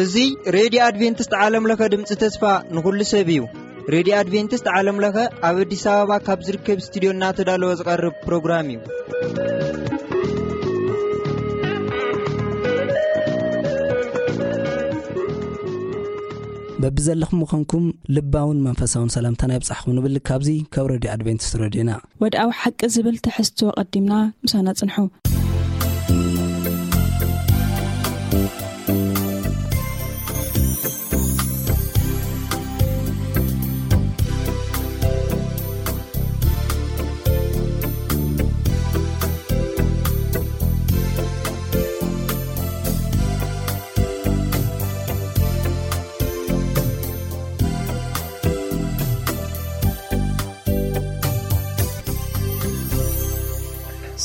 እዚ ሬድዮ ኣድቬንቲስት ዓለም ለኸ ድምፂ ተስፋ ንኹሉ ሰብ እዩ። ሬድዮ ኣድቬንቲስት ዓለም ለኸ ኣብ ኣዲስ ኣበባ ካብ ዝርከብ ስቱዲዮ እናተዳለወ ዝቐርብ ፕሮግራም እዩ። በብዘለኹም ምዃንኩም ልባውን መንፈሳውን ሰላምታና ይብጻሕኩም ንብል። ካብዚ ካብ ሬድዮ ኣድቬንቲስት ሬድዮና። ወድኣዊ ሓቂ ዝብል ትሕዝቶ ቀዲምና ምሳና ጽንሑ።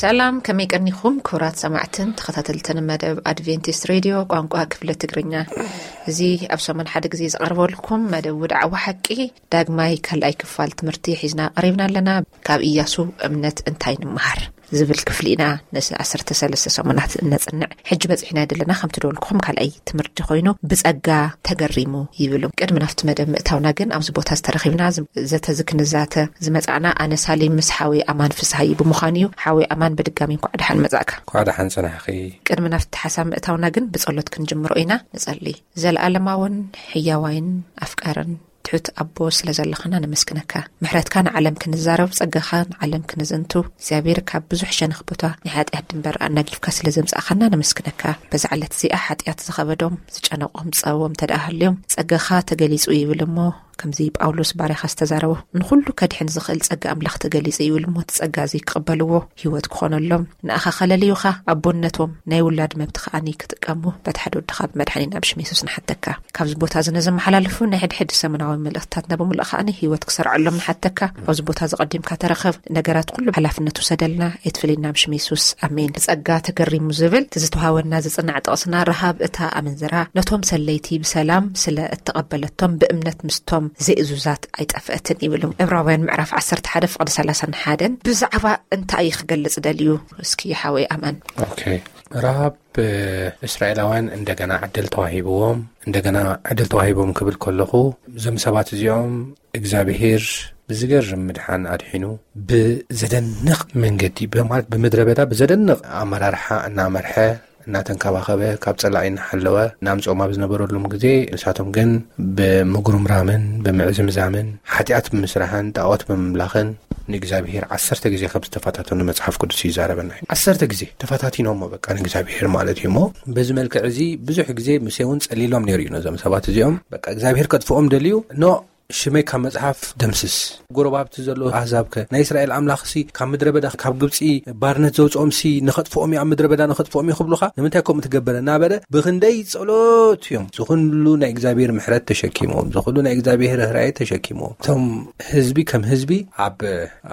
ሰላም፣ ከመይ ቀኒኹም ክቡራት ሰማዕትን ተኸታተልትን መደብ ኣድቬንቲስት ሬድዮ ቋንቋ ክፍለ ትግርኛ? እዚ ኣብ ሰሙን ሓደ ግዜ ዝቐርበልኩም መደብ ውድዓዊ ሓቂ ዳግማይ ካልኣይ ክፋል ትምህርቲ ሒዝና ቀሪብና ኣለና። ካብ ኢያሱ እምነት እንታይ ንምሃር ዝብል ክፍሊ ኢና ነዚ ዓሰርተ ሰለስተ ሰሙናት እነጽንዕ። ሕጂ በጺሕና ዘለና ከምቲ ደወልኩኹም ካልኣይ ትምህርቲ ኮይኑ ብጸጋ ተገሪሙ ይብሉ። ቅድሚ ናብቲ መደብ ምእታውና ግን ኣብዚ ቦታ ዝተረኺብና ዝ-፣ ዘተ ዝክንዛተ ዝመጻእና ኣነ ሳሊም ምስ ሓወይ ኣማን ፍስሃይ ብምዃን እዩ። ሓወይ ኣማን ብድጋሚ እንኳዕ ደሓን መጻእካ። እንኳዕ ደሓን ጸናሕኺ። ቅድሚ ናብቲ ሓሳብ ምእታውና ግን ብጸሎት ክንጅምሮ ኢና። ንጸሊ። ዘለኣለማውን ሕያዋይን ኣፍቃርን ትሑት ኣቦ ስለ ዘለኻና ነመስግነካ። ምሕረትካ ንዓለም ክንዛረብ፣ ጸጋኻ ንዓለም ክንዝንቱ፣ እግዚኣብሔር ካብ ብዙሕ ሸነኽ ቦታ ናይ ሓጢኣት ድንበር ኣናጊፍካ ስለ ዘምጻእኻና ነመስግነካ። በዛ ዕለት እዚኣ ሓጢኣት ዝኸበዶም፣ ዝጨነቖም፣ ዝጸበቦም እንተ ደኣ ሃልዮም፣ ጸጋኻ ተገሊጹ ይብል እሞ፣ ከምዚ ጳውሎስ ባርያኻ ዝተዛረቦ፣ ንኹሉ ከድሕን ዝኽእል ጸጋ ኣምላኽ ተገሊጹ ይብል እሞ፣ እቲ ጸጋ እዚ ክቕበልዎ፣ ህይወት ክኾነሎም፣ ንኣኻ ከለልዩኻ፣ ኣቦነቶም፣ ናይ ውላድ መብቲ ከኣኒ ክጥቀሙ፣ በቲ ሓደ ወድኻ ብመድሓኒና ብሽም የሱስ ንሓተካ። ካብዚ ቦታ እዚ ነዘመሓላልፉ ናይ ሕድሕድ ሰሙናዊ መልእኽትታትና ብምሉእ ከኣኒ ህይወት ክሰርዐሎም ንሓተካ። ኣብዚ ቦታ እዚ ቀዲምካ ተረኸብ፣ ነገራት ኩሉ ሓላፍነት ውሰደልና፣ ኣይትፍለየና ብሽም የሱስ። ኣሜን። ብጸጋ ተገሪሙ ዝብል እቲ ዝተዋሃበና ዝጽናዕ ጥቕስና፣ ረሃብ እታ ኣመንዝራ ነቶም ሰለይቲ ብሰላም ስለ እተቐበለቶም ብእምነት ምስቶም ዘይእዙዛት ኣይጠፍአትን ይብል። ዕብራውያን ምዕራፍ ዓሰርተ ሓደ ፍቕዲ ሰላሳን ሓደን ብዛዕባ እንታይ እዩ ክገልጽ ደልዩ? እስኪ ሓወይ ኣማን። ኦኬ። ረሃብ፣ እ፣ እስራኤላውያን እንደገና ዕድል ተዋሂብዎም፣ እንደገና ዕድል ተዋሂቦም ክብል ከለኹ፣ እዞም ሰባት እዚኦም እግዚኣብሄር ብዝገርም ምድሓን ኣድሒኑ፣ ብዘደንቕ መንገዲ፣ ብ-፣ ማለት ብምድረ በዳ ብዘደንቕ ኣመራርሓ እናመርሐ፣ እናተንከባኸበ፣ ካብ ጸላኢ እናሓለወ እናምጽኦም ኣብ ዝነበረሎም ግዜ፣ ንሳቶም ግን ብምጉርምራምን ብምዕዝምዛምን ሓጢኣት ብምስራሕን ጣዖት ብምምላኽን ንእግዚኣብሄር ዓሰርተ ግዜ ከም ዝተፈታተኑ መጽሓፍ ቅዱስ ይዛረበና እዩ። ዓሰርተ ግዜ ተፈታቲኖሞ በቃ ንእግዚኣብሄር ማለት እዩ። እሞ በዚ መልክዕ እዚ ብዙሕ ግዜ ሙሴ እውን ጸሊሎም ነይሩ እዩ ነዞም ሰባት እዚኦም። በቃ እግዚኣብሄር ከጥፍኦም ደልዩ፣ ኖ ሽመይ ካብ መጽሓፍ ደምስስ። ጎረባብቲ ዘሎ ኣህዛብ ከ ናይ እስራኤል ኣምላኽሲ ካብ ምድረ በዳ ካብ ግብጺ ባርነት ዘውጽኦምሲ ንኸጥፍኦም እዩ፣ ኣብ ምድረ በዳ ንኸጥፍኦም እዩ ክብሉኻ ንምንታይ ከምኡ ትገብር እናበለ ብኽንደይ ጸሎት እዮም ዝኹሉ ናይ እግዚኣብሔር ምሕረት ተሸኪሞም፣ ዝኹሉ ናይ እግዚኣብሔር ርህራሄ ተሸኪሞም። እቶም ህዝቢ ከም ህዝቢ ኣብ፣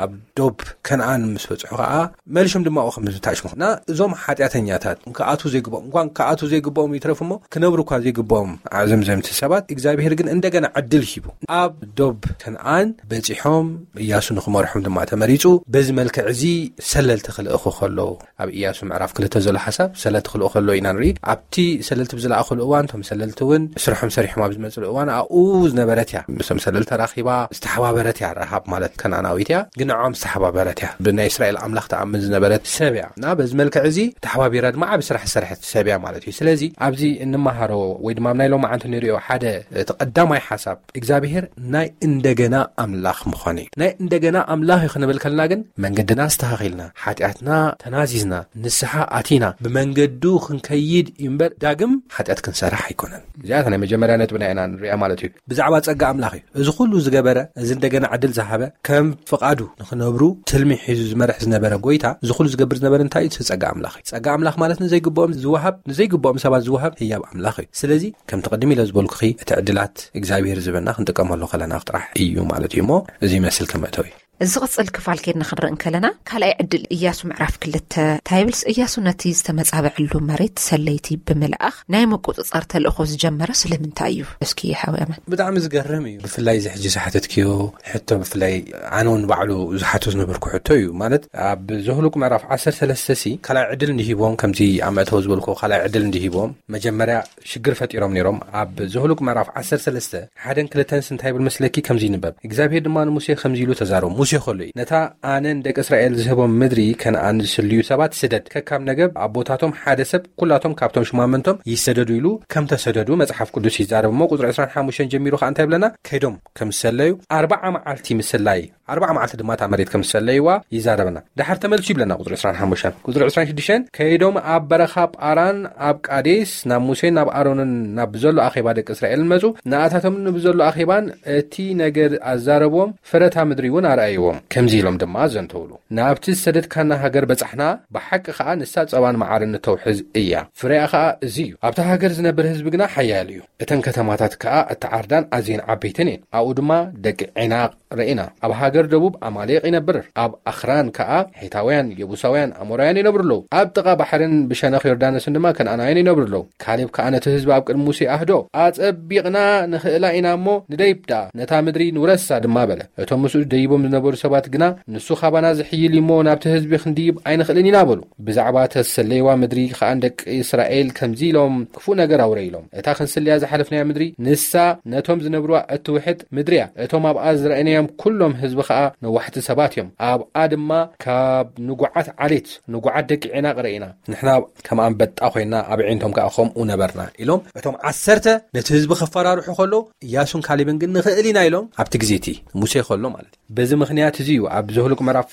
ኣብ ዶብ ከነኣን ምስ በጽሑ ኸኣ መልሾም ድማ ኣብኡ ከም ዝተሓሽሙ። እና እዞም ሓጢኣተኛታት ክኣትዉ ዘይግብኦም፣ እንኳን ክኣትዉ ዘይግብኦም ይትረፍ እሞ ክነብሩ እኳ ዘይግብኦም ኣዕዘምዘምቲ ሰባት፣ እግዚኣብሔር ግን እንደገና ዕድል ሂቡ ኣብ ዶብ ከነኣን በጺሖም፣ ኢያሱ ንኽመርሖም ድማ ተመሪጹ። በዚ መልክዕ እዚ ሰለልቲ ክልእኹ ከለዉ፣ ኣብ ኢያሱ ምዕራፍ ክልተ ዘሎ ሓሳብ ሰለልቲ ክልእኹ ከለዉ ኢና ንርኢ። ኣብቲ ሰለልቲ ብዝለኣኹሉ እዋን፣ እቶም ሰለልቲ እውን ስርሖም ሰሪሖም ኣብ ዝመጽሉ እዋን፣ ኣብኡ ዝነበረት እያ። ምስቶም ሰለልቲ ተራኺባ ዝተሓባበረት እያ። ረሃብ ማለት ከነኣናዊት እያ፣ ግን ንዕኦም ዝተሓባበረት እያ። ብናይ እስራኤል ኣምላኽ ትኣምን ዝነበረት ሰብ እያ። እና በዚ መልክዕ እዚ ተሓባቢራ ድማ ዓቢ ስራሕ ዝሰርሐት ሰብ እያ ማለት እዩ። ስለዚ ኣብዚ እንመሃሮ ወይ ድማ ኣብ ናይ ሎማዓንቲ ንሪኦ ሓደ እቲ ቀዳማይ ሓሳብ እግዚኣብሔር ናይ እንደገና ኣምላኽ ምዃኑ እዩ። ናይ እንደገና ኣምላኽ እዩ ክንብል ከለና ግን መንገድና ኣስተኻኺልና፣ ሓጢኣትና ተናዚዝና፣ ንስሓ ኣቲና፣ ብመንገዱ ክንከይድ እዩ እምበር ዳግም ሓጢኣት ክንሰርሕ ኣይኮነን። እዚኣ እታ ናይ መጀመርያ ነጥብና ኢና ንሪኣ ማለት እዩ። ብዛዕባ ጸጋ ኣምላኽ እዩ። እዚ ኩሉ ዝገበረ፣ እዚ እንደገና ዕድል ዝሃበ፣ ከም ፍቓዱ ንኽነብሩ ትልሚ ሒዙ ዝመርሕ ዝነበረ ጎይታ፣ እዚ ኩሉ ዝገብር ዝነበረ እንታይ እዩ? እቲ ጸጋ ኣምላኽ እዩ። ጸጋ ኣምላኽ ማለት ንዘይግብኦም ዝወሃብ፣ ንዘይግብኦም ሰባት ዝወሃብ ህያብ ኣምላኽ እዩ። ስለዚ ከምቲ ቅድም ኢለ ዝበልኩኺ፣ እቲ ዕድላት እግዚኣብሔር ዝህበና ክንጥቀመሉ ከለና ጥራሕ እዩ ማለት እዩ። እሞ እዚ ይመስል ከም መእተዊ። እዚ ቕጽል ክፋል ኬድና ክንርኢ እንከለና፣ ካልኣይ ዕድል እያሱ ምዕራፍ ክልተ እንታይ ይብልስ? እያሱ ነቲ ዝተመጻበዐሉ መሬት ሰለይቲ ብምልኣኽ ናይ ምቁጽጻር ተልእኾ ዝጀመረ ስለምንታይ እዩ? እስኪ ሓውያመን። ብጣዕሚ ዝገርም እዩ። ብፍላይ እዚ ሕጂ ዝሓተትክዮ ሕቶ፣ ብፍላይ ኣነ እውን ባዕሉ ዝሓቶ ዝነበርኩ ሕቶ እዩ። ማለት ኣብ ዘሁሉቅ ምዕራፍ ዓሰርተ ሰለስተ ሲ ካልኣይ ዕድል እንዲሂቦም፣ ከምዚ ኣብ መእተዊ ዝበልኩ ካልኣይ ዕድል እንዲሂቦም፣ መጀመርያ ሽግር ፈጢሮም ነይሮም። ኣብ ዘሁሉቅ ምዕራፍ ዓሰርተ ሰለስተ ሓደን ክልተንስ እንታይ ይብል መስለኪ? ከምዚ ይንበብ፣ እግዚኣብሔር ድማ ንሙሴ ከምዚ ኢሉ ተዛረቦ። ሙሴ ከሎ እዩ። ነታ ኣነ ንደቂ እስራኤል ዝህቦም ምድሪ ከነኣን ዝስልዩ ሰባት ስደድ፣ ከካብ ነገብ ኣቦታቶም ሓደ ሰብ፣ ኩላቶም ካብቶም ሽማመንቶም ይሰደዱ ኢሉ ከም ተሰደዱ መጽሓፍ ቅዱስ ይዛረብ። እሞ ቁጽሪ ዕስራን ሓሙሽተን ጀሚሩ ከኣ እንታይ ይብለና? ከይዶም ከም ዝሰለዩ ኣርባዓ መዓልቲ ምስላይ፣ ኣርባዓ መዓልቲ ድማ እታ መሬት ከም ዝሰለይዋ ይዛረበና። ድሓር ተመልሱ ይብለና ቁጽሪ ዕስራን ሓሙሽተን። ቁጽሪ ዕስራን ሽዱሽተን፣ ከይዶም ኣብ በረኻ ጳራን ኣብ ቃዴስ ናብ ሙሴን ናብ ኣሮንን ናብ ብዘሎ ኣኼባ ደቂ እስራኤልን መጹ። ንኣታቶምን ብዘሎ ኣኼባን እቲ ነገር ኣዛረብዎም፣ ፍረታ ምድሪ እውን ኣርኣይዎም። ከምዚ ኢሎም ድማ ኣዘንተውሉ፣ ናብቲ ዝሰደድካና ሃገር በጻሕና፣ ብሓቂ ኸኣ ንሳ ጸባን መዓርን እተውሕዝ እያ። ፍሬኣ ኸኣ እዚ እዩ። ኣብታ ሃገር ዝነብር ህዝቢ ግና ሓያል እዩ። እተን ከተማታት ከኣ እተዓርዳን ኣዝየን ዓበይትን እየን። ኣብኡ ድማ ደቂ ዔናቕ ርኢና። ኣብ ሃገር ደቡብ ኣማሌቕ ይነብር። ኣብ ኣኽራን ከኣ ሔታውያን፣ የቡሳውያን፣ ኣሞራውያን ይነብሩ ኣለዉ። ኣብ ጥቓ ባሕርን ብሸነኽ ዮርዳኖስን ድማ ከነኣናውያን ይነብሩ ኣለዉ። ካሌብ ከኣ ነቲ ህዝቢ ኣብ ቅድሚ ሙሴ ኣህዶ፣ ኣጸቢቕና ንኽእላ ኢና እሞ ንደይብ ደኣ፣ ነታ ምድሪ ንውረሳ ድማ በለ። እቶም ምስኡ ደይቦም ዝነበሩ ሰባት ግና፣ ንሱ ካባና ዝሕይል እዩ እሞ ናብቲ ህዝቢ ክንድይብ ኣይንኽእልን ኢና በሉ። ብዛዕባ ተሰለይዋ ምድሪ ከኣ ንደቂ እስራኤል ከምዚ ኢሎም ክፉእ ነገር ኣውረ ኢሎም፣ እታ ክንስልያ ዝሓለፍናያ ምድሪ ንሳ ነቶም ዝነብርዋ እትውሕጥ ምድሪ እያ። እቶም ኣብኣ ዝረኣይናዮም ኩሎም ህዝቢ ከኣ ነዋሕቲ ሰባት እዮም። ኣብኣ ድማ ካብ ንጉዓት ዓሌት፣ ንጉዓት ደቂ ዔናቕ ርኢና። ንሕና ከም ኣንበጣ ኮይና ኣብ ዒንቶም ከኣ ከምኡ ነበርና ኢሎም እቶም ዓሰርተ ነቲ ህዝቢ ከፈራርሑ ከለዉ፣ እያሱን ካሌብን ግን ንኽእል ኢና ኢሎም ኣብቲ ግዜ እቲ ሙሴ ከሎ ማለት እዩ። በዚ ምኽንያት እዚ እዩ ኣብ ዘሁልቅ ምዕራፍ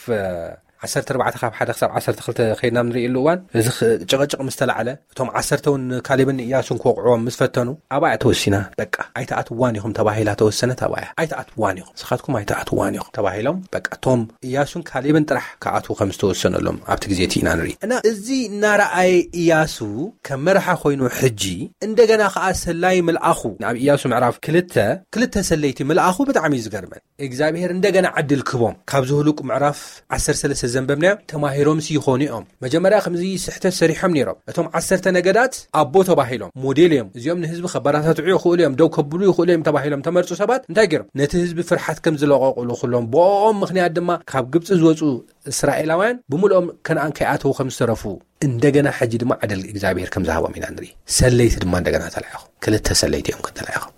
ዓሰርተ ኣርባዕተ ካብ ሓደ ክሳብ ዓሰርተ ክልተ ከይድና ንርእየሉ እዋን፣ እዚ ኽ-፣ ጭቕጭቕ ምስ ተላዕለ፣ እቶም ዓሰርተ እውን ካሌብን ኢያሱን ክወቕዕዎም ምስ ፈተኑ፣ ኣብኣ እያ ተወሲና። በቃ ኣይትኣትዋን ኢኹም ተባሂላ ተወሰነት፣ ኣብኣ እያ። ኣይትኣትዋን ኢኹም፣ ንስኻትኩም ኣይትኣትዋን ኢኹም ተባሂሎም፣ በቃ እቶም ኢያሱን ካሌብን ጥራሕ ክኣትዉ ከም ዝተወሰነሎም ኣብቲ ግዜ እቲ ኢና ንርኢ። እና እዚ እናረኣየ ኢያሱ ከም መርሓ ኮይኑ ሕጂ እንደገና ከኣ ሰላይ ምልኣኹ። ኣብ ኢያሱ ምዕራፍ ክልተ፣ ክልተ ሰለይቲ ምልኣኹ ብጣዕሚ እዩ ዝገርመን። እግዚኣብሔር እንደገና ዕድል ክቦም። ካብ ዘሁልቁ ምዕራፍ ዓሰርተ ሰለስተ ዘንበብናዮ ተማሂሮምሲ ይኾኑ እዮም። መጀመርያ ከምዚ ስሕተት ሰሪሖም ነይሮም። እቶም ዓሰርተ ነገዳት ኣቦ ተባሂሎም ሞዴል እዮም። እዚኦም ንህዝቢ ከበረታትዑ ይኽእሉ እዮም፣ ደው ከብሉ ይኽእሉ እዮም ተባሂሎም ተመርጹ ሰባት እንታይ ገይሮም? ነቲ ህዝቢ ፍርሓት ከም ዝለቐቑሉ ኩሎም ብኦም ምኽንያት ድማ ካብ ግብጺ ዝወጹ እስራኤላውያን ብምልኦም ከነኣን ከይኣተዉ ከም ዝተረፉ እንደገና ሕጂ ድማ ዕድል እግዚኣብሔር ከም ዝሃቦም ኢና ንርኢ። ሰለይቲ ድማ እንደገና ተላኢኹም። ክልተ ሰለይቲ እዮም ተላኢኹም።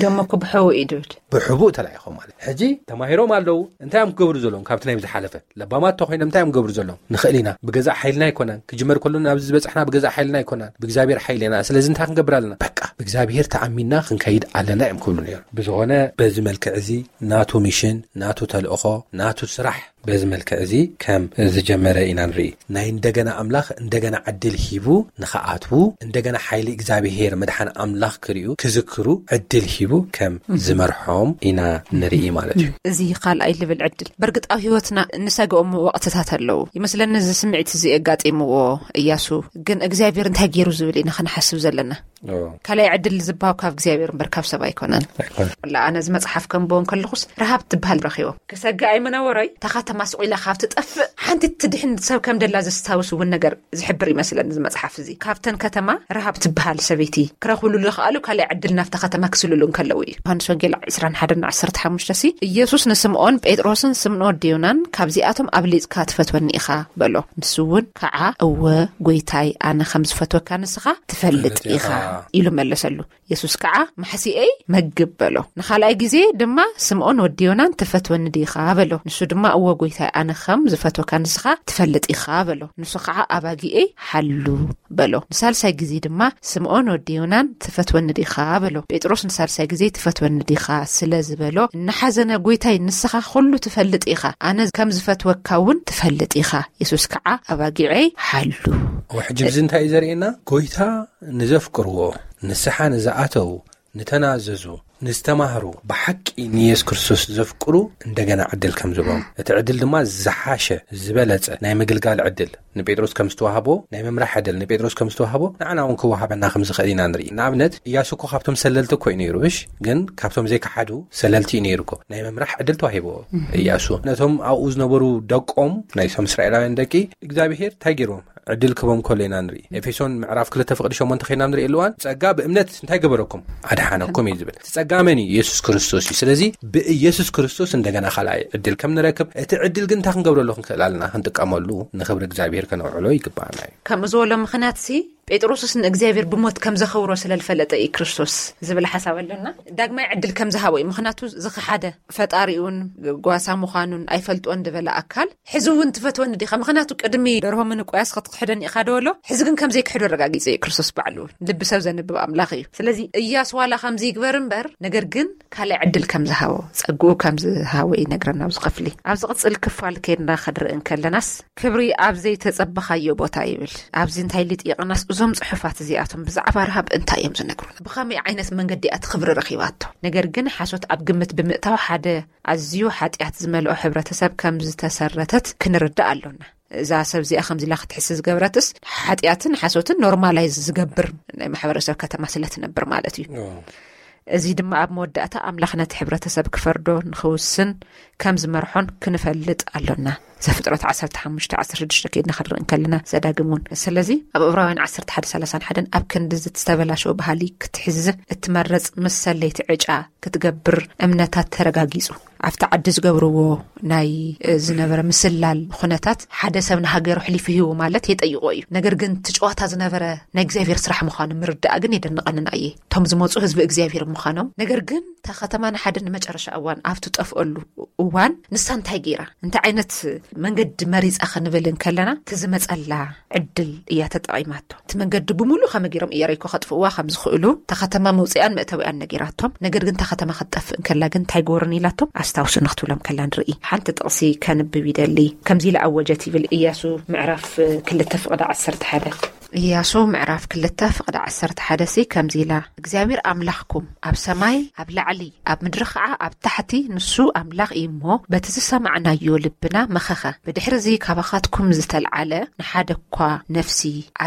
ደሞ እኮ ብሕቡእ እዩ ድብል። ብሕቡእ ተላኢኾም ማለት። ሕጂ ተማሂሮም ኣለዉ። እንታይ እዮም ክገብሩ ዘለዎም? ካብቲ ናይ ዝሓለፈ ለባማት ተኾይኖም እንታይ እዮም ክገብሩ ዘለዎም? ንኽእል ኢና። ብገዛእ ሓይልና ኣይኮናን። ክጅመር ከሎ ናብዚ ዝበጻሕና ብገዛእ ሓይልና ኣይኮናን። ብእግዚኣብሔር ሓይሊ ኢና። ስለዚ እንታይ ክንገብር ኣለና? በቃ ብእግዚኣብሔር ተኣሚንና ክንከይድ ኣለና እዮም ክብሉ ነይሮም። ብዝኾነ በዚ መልክዕ እዚ ናቱ ሚሽን፣ ናቱ ተልእኾ፣ ናቱ ስራሕ በዚ መልክዕ እዚ ከም ዝጀመረ ኢና ንርኢ። ናይ እንደገና ኣምላኽ እንደገና ዕድል ሂቡ ንኽኣትዉ፣ እንደገና ሓይሊ እግዚኣብሔር መድሓን ኣምላኽ ክርእዩ፣ ክዝክሩ ዕድል ሂቡ ከም ዝመርሖም ኢና ንርኢ ማለት እዩ። እዚ ካልኣይ ልብል ዕድል በርግጥ ኣብ ህይወትና እንሰግኦም ወቕትታት ኣለዉ። ይመስለኒ እዚ ስምዒት እዚ የጋጢምዎ እያሱ፣ ግን እግዚኣብሔር እንታይ ገይሩ ዝብል ኢና ክንሓስብ ዘለና። ኦ። ካልኣይ ዕድል ዝባው ካብ እግዚኣብሔር እምበር ካብ ሰብ ኣይኮነን። ኣይኮነን። ላ ኣነ እዚ መጽሓፍ ከንብቦ እንከለኹስ ረሃብ ትበሃል ረኺቦም። ክሰግእ ኣይምነበሮይ፣ እታ ከተማ ስቕ ኢላ ካብ ትጠፍእ ሓንቲ ትድሕን ሰብ ከም ደላ ዘስታውስ እውን ነገር ዝሕብር ይመስለኒ እዚ መጽሓፍ እዚ። ካብተን ከተማ ረሃብ ትበሃል ሰበይቲ ክረኽብሉ ዝኸኣሉ ካልኣይ ዕድል ናብታ ከተማ ክስልሉ እንከለዉ እዩ። ዮሃንስ ወንጌል ዕስራን ሓደን ዓሰርተ ሓሙሽተ ሲ፣ ኢየሱስ ንስምዖን ጴጥሮስን ስምዖን ወዲ ዮናን ካብዚኣቶም ኣብሊጽካ ትፈትወኒ ኢኻ በሎ። ንሱ እውን ከዓ እወ ጎይታይ ኣነ ከም ዝፈትወካ ንስኻ ትፈልጥ ትፈልጥ ኢኻ ኢኻ። ኢሉ መለሰሉ። የሱስ ከዓ ማሕሲኤይ መግብ በሎ። ንኻልኣይ ግዜ ድማ ስምዖን ወዲ ዮናን ትፈትወኒ ዲኻ በሎ። ንሱ ድማ እወ ጎይታይ ኣነ ከም ዝፈትወካ ንስኻ ትፈልጥ ኢኻ በሎ። ንሱ ከዓ ኣባጊኤይ ሓሉ በሎ። ንሳልሳይ ግዜ ድማ ስምዖን ወዲ ዮናን ትፈትወኒ ዲኻ በሎ። ጴጥሮስ ንሳልሳይ ግዜ ትፈትወኒ ዲኻ ስለ ዝበሎ እናሓዘነ ጎይታይ ንስኻ ኩሉ ትፈልጥ ኢኻ፣ ኣነ ከም ዝፈትወካ እውን ትፈልጥ ኢኻ። የሱስ ከዓ ኣባጊዐይ ሓሉ። ሕጂ ብዚ እንታይ እዩ ዘርእየና? ጎይታ ንዘፍቅርዎ፣ ንስሓ ንዝኣተዉ፣ ንተናዘዙ፣ ንዝተማህሩ፣ ብሓቂ ንየሱስ ክርስቶስ ዘፍቅሩ እንደገና ዕድል ከም ዝህቦም፣ እቲ ዕድል ድማ ዝሓሸ፣ ዝበለጸ ናይ ምግልጋል ዕድል ንጴጥሮስ ከም ዝተዋህቦ፣ ናይ ምምራሕ ዕድል ንጴጥሮስ ከም ዝተዋህቦ ንዓና እውን ክወሃበና ከም ዝኽእል ኢና ንርኢ። ንኣብነት፣ ኢያሱ እኮ ካብቶም ሰለልቲ እኮ እዩ ነይሩ፣ እሽ? ግን ካብቶም ዘይከሓዱ ሰለልቲ እዩ ነይሩ እኮ። ናይ ምምራሕ ዕድል ተዋሂብዎ ኢያሱ። ነቶም ኣብኡ ዝነበሩ ደቆም፣ ናይ ሶም እስራኤላውያን ደቂ እግዚኣብሔር እንታይ ገይርዎም? ዕድል ክቦም ከሎ ኢና ንርኢ። ኤፌሶን ምዕራፍ ክልተ ፍቕዲ ሸሞንተ ኸይና ንርኢ፣ ኣለዋን ጸጋ ብእምነት እንታይ ገበረኩም? ኣድሓነኩም እዩ ዝብል። እቲ ጸጋ መን እዩ? ኢየሱስ ክርስቶስ እዩ። ስለዚ ብኢየሱስ ክርስቶስ እንደገና ካልኣይ ዕድል ከም ንረክብ፣ እቲ ዕድል ግን እንታይ ክንገብረሉ ክንክእል ኣለና? ክንጥቀመሉ፣ ንኽብሪ እግዚኣብሔር ከነውዕሎ ይግባኣና እዩ። ከምኡ ዝበሎ ምኽንያት ሲ፣ ጴጥሮስስ ንእግዚኣብሔር ብሞት ከም ዘኸብሮ ስለ ዝፈለጠ እዩ ክርስቶስ ዝብል ሓሳብ ኣለና። ዳግማይ ዕድል ከም ዝሃቦ እዩ። ምኽንያቱ ዝኸሓደ ፈጣሪኡን ጓሳ ምዃኑን ኣይፈልጦን ዝበለ ኣካል፣ ሕዚ እውን ትፈትወኒ ዲኻ? ምኽንያቱ ቅድሚ ደርሆ ምንቋያስ ክትክሕደኒ ኢኻ ዶ በሎ። ሕዚ ግን ከም ዘይክሕዶ ኣረጋጊጸ እዩ ክርስቶስ ባዕሉ እውን። ልቢ ሰብ ዘንብብ ኣምላኽ እዩ። ስለዚ እያሱ ዋላ ከምዚ ይግበር እምበር፣ ነገር ግን ካልእ ዕድል ከም ዝሃቦ፣ ጸግኡ ከም ዝሃቦ ይነግረና ኣብዚ ክፍሊ። ኣብ ዝቕጽል ክፋል ኬድና ክንርኢ እንከለናስ፣ ክብሪ ኣብ ዘይተጸበኻዮ ቦታ ይብል። ኣብዚ እንታይ ልጥይቕናስ፣ እዞም ጽሑፋት እዚኣቶም ብዛዕባ ረሃብ እንታይ እዮም ዝነግሩና? ብኸመይ ዓይነት መንገዲ እያ እቲ ክብሪ ረኺባቶ? ነገር ግን ሓሶት ኣብ ግምት ብምእታው ሓደ ኣዝዩ ሓጢኣት ዝመልኦ ሕብረተሰብ ከም ዝተሰረተት ክንርዳእ ኣሎና። እዛ ሰብ እዚኣ ከምዚ ኢላ ክትሕስ ዝገብረትስ፣ ሓጢኣትን ሓሶትን ኖርማላይዝ ዝገብር ናይ ማሕበረሰብ ከተማ ስለ ትነብር ማለት እዩ። ኦ። እዚ ድማ ኣብ መወዳእታ ኣምላኽ ነቲ ሕብረተሰብ ክፈርዶ ንኽውስን ከም ዝመርሖን ክንፈልጥ ኣሎና። ዘፍጥረት ዓሰርተ ሓሙሽተ ዓሰርተ ሽዱሽተ ከይድና ክንርኢ እንከለና፣ ዘዳግም እውን። ስለዚ ኣብ ዕብራውያን ዓሰርተ ሓደ ሰላሳን ሓደን ኣብ ክንዲ ዝተበላሸወ ባህሊ ክትሕዝ እትመረጽ ምስ ሰለይቲ ዕጫ ክትገብር እምነታት ተረጋጊጹ። ኣብቲ ዓዲ ዝገብርዎ ናይ፣ እ፣ ዝነበረ ምስላል ኩነታት ሓደ ሰብ ንሃገሩ ኣሕሊፉ ሂቡ ማለት የጠይቆ እዩ። ነገር ግን እቲ ጨዋታ ዝነበረ ናይ እግዚኣብሔር ስራሕ ምዃኑ ምርዳእ ግን የደንቐንን ኣየ። እቶም ዝመጹ ህዝቢ እግዚኣብሔር ምዃኖም። ነገር ግን እታ ከተማ ንሓደ ንመጨረሻ እዋን ኣብ ትጠፍኦሉ እዋን ንሳ እንታይ ገይራ? እንታይ ዓይነት መንገዲ መሪጻ ክንብል እንከለና፣ እቲ ዝመጸላ ዕድል እያ ተጠቒማቶ። እቲ መንገዲ ብምሉእ ከመይ ገይሮም ኢያሪኮ ከጥፍእዋ ከም ዝኽእሉ፣ እታ ከተማ መውጽኣን መእተዊኣን ነጊራቶም። ነገር ግን እታ ከተማ ክትጠፍእ እንከላ ግን እንታይ ገበሩን ኢላቶም ኣስታውሱኒ ክትብሎም ከላ ንርኢ። ሓንቲ ጥቕሲ ከንብብ ይደሊ። ከምዚ ኢላ ኣወጀት ይብል ኢያሱ ምዕራፍ ክልተ ፍቕዲ ዓሰርተ ሓደ። ኢያሱ ምዕራፍ ክልተ ፍቕዲ ዓሰርተ ሓደ ሲ ከምዚ ኢላ፣ እግዚኣብሔር ኣምላኽኩም ኣብ ሰማይ ኣብ ላዕሊ ኣብ ምድሪ ኸዓ ኣብ ታሕቲ ንሱ ኣምላኽ እዩ እሞ፣ በቲ ዝሰማዕናዮ ልብና መኸኸ። ብድሕሪ እዚ ካባኻትኩም ዝተልዓለ ንሓደ እኳ ነፍሲ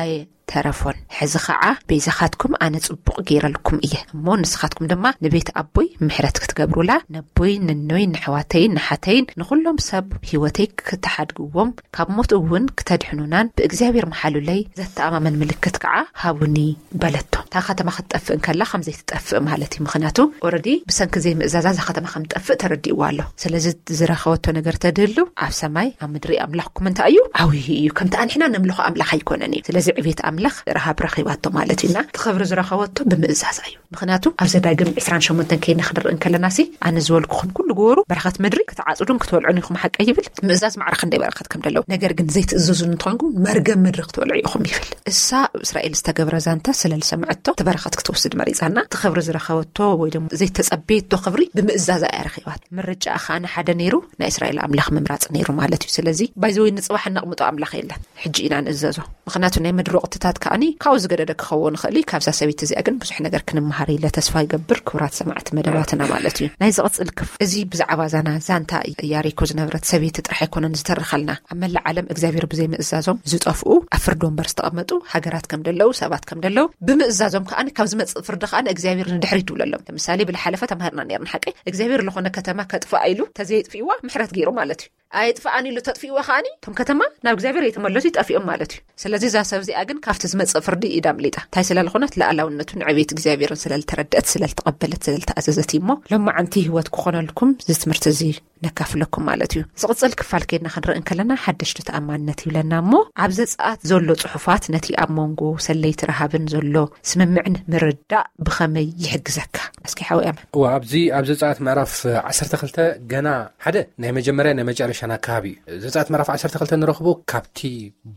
ኣይተረፎን። ሕዚ ኸዓ ቤዛኻትኩም ኣነ ጽቡቕ ገይረልኩም እየ እሞ፣ ንስኻትኩም ድማ ንቤት ኣቦይ ምሕረት ክትገብሩላ፣ ነቦይ፣ ንኖይ፣ ንሕዋተይን ንሓተይን ንኹሎም ሰብ ህይወተይ ክትሓድግዎም፣ ካብ ሞት እውን ክተድሕኑናን ብእግዚኣብሔር መሓሉለይ ዘተኣማመን ምልክት ከዓ ሃቡኒ በለቶ። እታ ከተማ ክትጠፍእ እንከላ ከም ዘይትጠፍእ ማለት እዩ። ምኽንያቱ ኦረዲ ብሰንኪ ዘይምእዛዛ እዛ ከተማ ከም ትጠፍእ ተረዲእዋ ኣሎ። ስለዚ ዝረኸበቶ ነገር ተድህሉ፣ ኣብ ሰማይ ኣብ ምድሪ ኣምላኽኩም እንታይ እዩ? ዓብዪ እዩ። ከምቲ ኣንሕና ነምልኾ ኣምላኽ ኣይኮነን እዩ። ስለዚ ዕቤት ኣምላኽ ረሃብ ረኺባቶ ማለት እዩና። እቲ ክብሪ ዝረኸበቶ ብምእዛዛ እዩ። ምኽንያቱ ኣብ ዘዳግም ዕስራን ሸሞንተን ከይድና ክንርኢ እንከለና ሲ፣ ኣነ ዝበልኩኹም ኩሉ ግበሩ፣ በረኸት ምድሪ ክትዓጽዱን ክትበልዑን ኢኹም ሓቀይ ይብል። ምእዛዝ ማዕረ ክንደይ በረኸት ከም ደለዎ። ነገር ግን ዘይትእዘዙ እንተኾንኩም መርገም ምድሪ ክትበልዑ ኢኹም ይብል። እሳ ኣብ እስራኤል ዝተገብረ ዛንታ ስለ ዝሰምዐቶ እቲ በረኸት ክትወስድ መሪጻና። እቲ ክብሪ ዝረኸበቶ ወይ ደሞ ዘይተጸበየቶ ክብሪ ብምእዛዛ እያ ረኺባት። ምርጫ ኸኣ ንሓደ ነይሩ፣ ናይ እስራኤል ኣምላኽ ምምራጽ ነይሩ ማለት እዩ። ስለዚ ባይዘወይ ንጽባሕ እነቕምጦ ኣምላኽ የለን። ሕጂ ኢና ንእዘዞ። ምኽንያቱ ናይ ምድሪ ወቕትታት ከኣኒ ካብኡ ዝገደደ ክኸውን ይኽእል እዩ። ካብዛ ሰበይቲ እዚኣ ግን ብዙሕ ነገር ክንመሃር ኢለ ተስፋ ይገብር። ክቡራት ሰማዕቲ መደባትና ማለት እዩ። ናይ ዝቕጽል ክፍ-፣ እዚ ብዛዕባ ዛና ዛንታ ኢያሪኮ ዝነበረት ሰበይቲ ጥራሕ ኣይኮነን ዝተረኸልና። ኣብ መላእ ዓለም እግዚኣብሔር ብዘይምእዛዞም ዝጠፍኡ፣ ኣብ ፍርዲ ወንበር ዝተቐመጡ ሃገራት ከም ደለዉ፣ ሰባት ከም ደለዉ፣ ብምእዛዞም ከኣኒ ካብ ዝመጽእ ፍርዲ ከኣኒ እግዚኣብሔር ንድሕሪት ይብለሎም። ለምሳሌ ብዝሓለፈ ተማሂርና ነይርና ሓቀይ፣ እግዚኣብሔር ዝኾነ ከተማ ከጥፍኣ ኢሉ ተዘየጥፍእዋ ምሕረት ገይሩ ማለት እዩ። ኣየጥፍኣን ኢሉ ተጥፍእዋ ከኣኒ፣ እቶም ከተማ ናብ እግዚኣብሔር ኣይተመለሱ ይጠፍኦም ማለት እዩ። ስለዚ እዛ ሰብ እዚኣ ግን ካብቲ ዝመጽእ ፍርዲ ኢዳ ኣምሊጣ። እንታይ ስለ ዝኾነት? ልኣላውነቱን ዕቤት እግዚኣብሔርን ስለ ዝተረድአት፣ ስለ ዝተቐበለት፣ ስለ ዝተኣዘዘት እዩ። እሞ ሎማዓንቲ ህይወት ክኾነልኩም እዚ ትምህርቲ እዚ ነካፍለኩም ማለት እዩ። ዝቕጽል ክፋል ከይድና ክንርኢ እንከለና ሓደሽቲ ተኣማንነት ይብለና። እሞ ኣብ ዘጸኣት ዘሎ ጽሑፋት ነቲ ኣብ መንጎ ሰለይቲ ረሃብን ዘሎ ስምምዕን ምርዳእ ብኸመይ ይሕግዘካ? እስኪ ሓወይ ኣመን። እዋ፣ ኣብዚ ኣብ ዘጸኣት ምዕራፍ ዓሰርተ ክልተ ገና ሓደ ናይ መጀመርያ ናይ መጨረሻን ኣካባቢ እዩ። ዘጸኣት ምዕራፍ ዓሰርተ ክልተ ንረኽቦ ካብቲ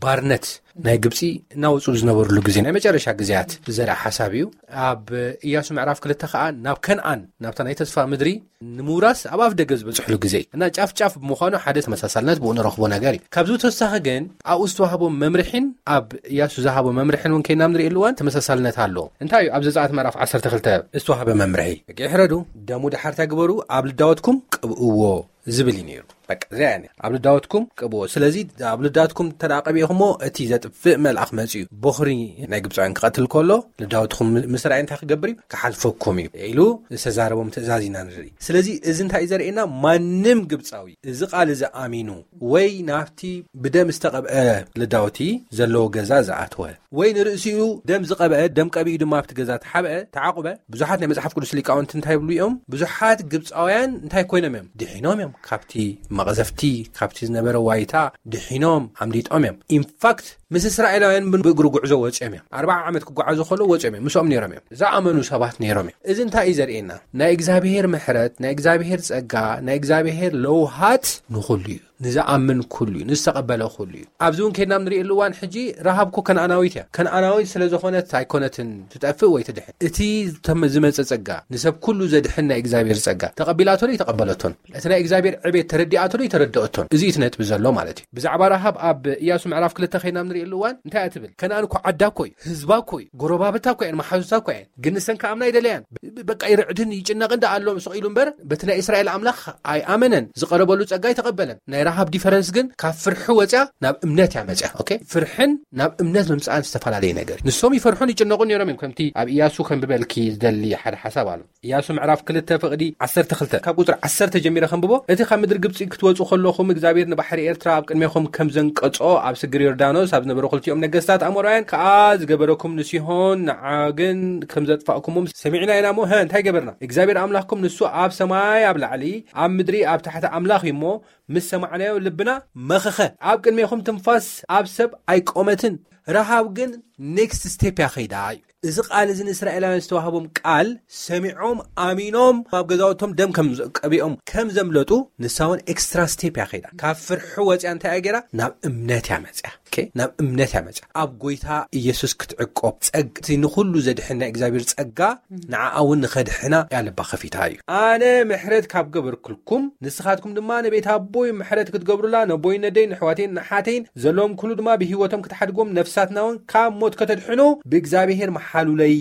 ባርነት ናይ ግብጺ እናወጹ ዝነበሩሉ ግዜ፣ ናይ መጨረሻ ግዜያት ዝዘርኣ ሓሳብ እዩ። ኣብ ኢያሱ ምዕራፍ ክልተ ከኣ ናብ ከነኣን፣ ናብታ ናይ ተስፋ ምድሪ ንምውራስ ኣብ ኣፍ ደገ ዝበጽሕሉ ግዜ ደይ እና ጫፍ ጫፍ ብምዃኑ ሓደ ተመሳሳልነት ብኡ ንረኽቦ ነገር እዩ። ካብዚ ተወሳኺ ግን ኣብኡ ዝተዋህቦ መምርሒን ኣብ ኢያሱ ዝሃቦ መምርሒን እውን ከይና ንርእየሉ እዋን ተመሳሳልነት ኣለዎ። እንታይ እዩ? ኣብ ዘጸኣት ምዕራፍ ዓሰርተ ክልተ ዝተዋህበ መምርሒ፣ በቂ ሕረዱ፣ ደሙ ድሓር እንታይ ግበሩ? ኣብ ልዳወትኩም ቅብእዎ ዝብል እዩ ነይሩ። በቃ እዚኣ እያ፣ ኣብ ልዳወትኩም ቅብዎ። ስለዚ ኣብ ልዳወትኩም እንተ ደኣ ቀቢእኹሞ፣ እቲ ዘጥፍእ መልኣኽ መጺኡ በኹሪ ናይ ግብፃውያን ክቐትል ከሎ፣ ልዳወትኩም ምስ ረኣየ እንታይ ክገብር እዩ? ክሓልፈኩም እዩ ኢሉ ዝተዛረቦም ትእዛዝ ኢና ንርኢ። ስለዚ እዚ እንታይ እዩ ዘርእየና? ማንም ግብፃዊ እዚ ቃል እዚ ኣሚኑ ወይ ናብቲ ብደም ዝተቐብአ ልዳወቲ ዘለዎ ገዛ ዝኣተወ ወይ ንርእሲኡ ደም ዝቐብአ፣ ደም ቀቢኡ ድማ ኣብቲ ገዛ ተሓብአ፣ ተዓቑበ፣ ብዙሓት ናይ መጽሓፍ ቅዱስ ሊቃውንቲ እንታይ ይብሉ እዮም? ብዙሓት ግብፃውያን እንታይ ኮይኖም እዮም? ድሒኖም እዮም። ካብቲ መቕዘፍቲ፣ ካብቲ ዝነበረ ዋይታ ድሒኖም፣ ኣምሊጦም እዮም። ኢንፋክት፣ ምስ እስራኤላውያን እውን ብእግሪ ጉዕዞ ወፂኦም እዮም። ኣርብዓ ዓመት ክጓዓዙ ከለዉ ወፂኦም እዮም። ምስኦም ነይሮም እዮም። ዝኣመኑ ሰባት ነይሮም እዮም። እዚ እንታይ እዩ ዘርእየና? ናይ እግዚኣብሄር ምሕረት፣ ናይ እግዚኣብሄር ጸጋ፣ ናይ እግዚኣብሄር ለውሃት ንኹሉ እዩ። ንዝኣምን ኩሉ እዩ፣ ንዝተቐበለ ኩሉ እዩ። ኣብዚ እውን ከይድና ንርእየሉ እዋን፣ ሕጂ ረሃብ እኮ ከነኣናዊት እያ። ከነኣናዊት ስለ ዝኾነት ኣይኮነትን ትጠፍእ ወይ ትድሕን። እቲ ተም-፣ ዝመጸ ጸጋ፣ ንሰብ ኩሉ ዘድሕን ናይ እግዚኣብሔር ጸጋ፣ ተቐቢላቶ ዶ ኣይተቐበለቶን? እቲ ናይ እግዚኣብሔር ዕቤት ተረዲኣቶ ዶ ኣይተረድኦቶን? እዚ እዩ እቲ ነጥቢ ዘሎ ማለት እዩ። ብዛዕባ ረሃብ ኣብ ኢያሱ ምዕራፍ ክልተ ከይድና ንርእየሉ እዋን፣ እንታይ እያ ትብል? ከነኣን እኮ ዓዳ እኮ እዩ፣ ህዝባ እኮ እዩ፣ ጎረባብታ እኮ እየን፣ መሓዙታ እኮ እየን። ግን ንሰን ከኣምና ኣይደለያን። ብ-፣ ብ-፣ በቃ ይርዕድን ይጭነቕን ደኣ ኣሎ ስቕ ኢሉ እምበር፣ በቲ ናይ እስራኤል ኣምላኽ ኣይኣመነን። ዝቐረበሉ ጸጋ ኣይተቐበለን። ናይ ረሃብ ዲፈረንስ ግን ካብ ፍርሒ ወጽያ ናብ እምነት እያ መጽያ። ኦኬ? ፍርሕን ናብ እምነት ምምጽኣን ዝተፈላለየ ነገር እዩ። ንሶም ይፈርሑን ይጭነቑን ነይሮም እዮም፣ ከምቲ ኣብ ኢያሱ ከንብበልኪ ዝደሊ ሓደ ሓሳብ ኣሎ። ኢያሱ ምዕራፍ ክልተ ፍቕዲ ዓሰርተ ክልተ፣ ካብ ቁጽሪ ዓሰርተ ጀሚረ ከንብቦ። እቲ ካብ ምድሪ ግብጺ ክትወጹ ከለኹም እግዚኣብሔር ንባሕሪ ኤርትራ ኣብ ቅድሜኹም ከም ዘንቀጾ፣ ኣብ ስግር ዮርዳኖስ ኣብ ዝነበሩ ክልቲኦም ነገስታት ኣሞራውያን ከኣ ዝገበረኩም ንሲሆን ንዓግን ከም ዘጥፋእኩሞም ሰሚዕና ኢና እሞ፣ ሀ፣ እንታይ ገበርና? እግዚኣብሔር ኣምላኽኩም ንሱ ኣብ ሰማይ ኣብ ላዕሊ፣ ኣብ ምድሪ ኣብ ታሕቲ ኣምላኽ እዩ እሞ፣ ምስ ሰማዕናዮ ልብና መኸኸ። ኣብ ቅድሜኹም ትንፋስ ኣብ ሰብ ኣይቆመትን። ረሃብ ግን ኔክስት ስቴፕ እያ ኸይዳ እዩ። እዚ ቃል እዚ ንእስራኤላውያን ዝተዋህቦም ቃል ሰሚዖም ኣሚኖም ኣብ ገዛውቶም ደም ከም ዘ-፣ ቀቢኦም ከም ዘምለጡ ንሳ እውን ኤክስትራ ስቴፕ እያ ኸይዳ። ካብ ፍርሒ ወፅያ እንታይ እያ ገይራ? ናብ እምነት እያ መፅያ። ኦኬ? ናብ እምነት እያ መፅያ። ኣብ ጎይታ ኢየሱስ ክትዕቆብ ጸግ-፣ እቲ ንኹሉ ዘድሕን ናይ እግዚኣብሔር ጸጋ ንዓኣ እውን ንኸድሕና እያ ልባ ከፊታ እዩ። ኣነ ምሕረት ካብ ገበርኩልኩም ንስኻትኩም ድማ ንቤት ኣቦይ ምሕረት ክትገብሩላ፣ ነቦይን ነደይን፣ ንሕዋተይን ንሓተይን ዘለዎም ኩሉ ድማ ብህይወቶም ክትሓድግዎም፣ ነፍሳትና እውን ካብ ሞት ከተድሕኑ ብእግዚኣብሔር መሓሉለይ፣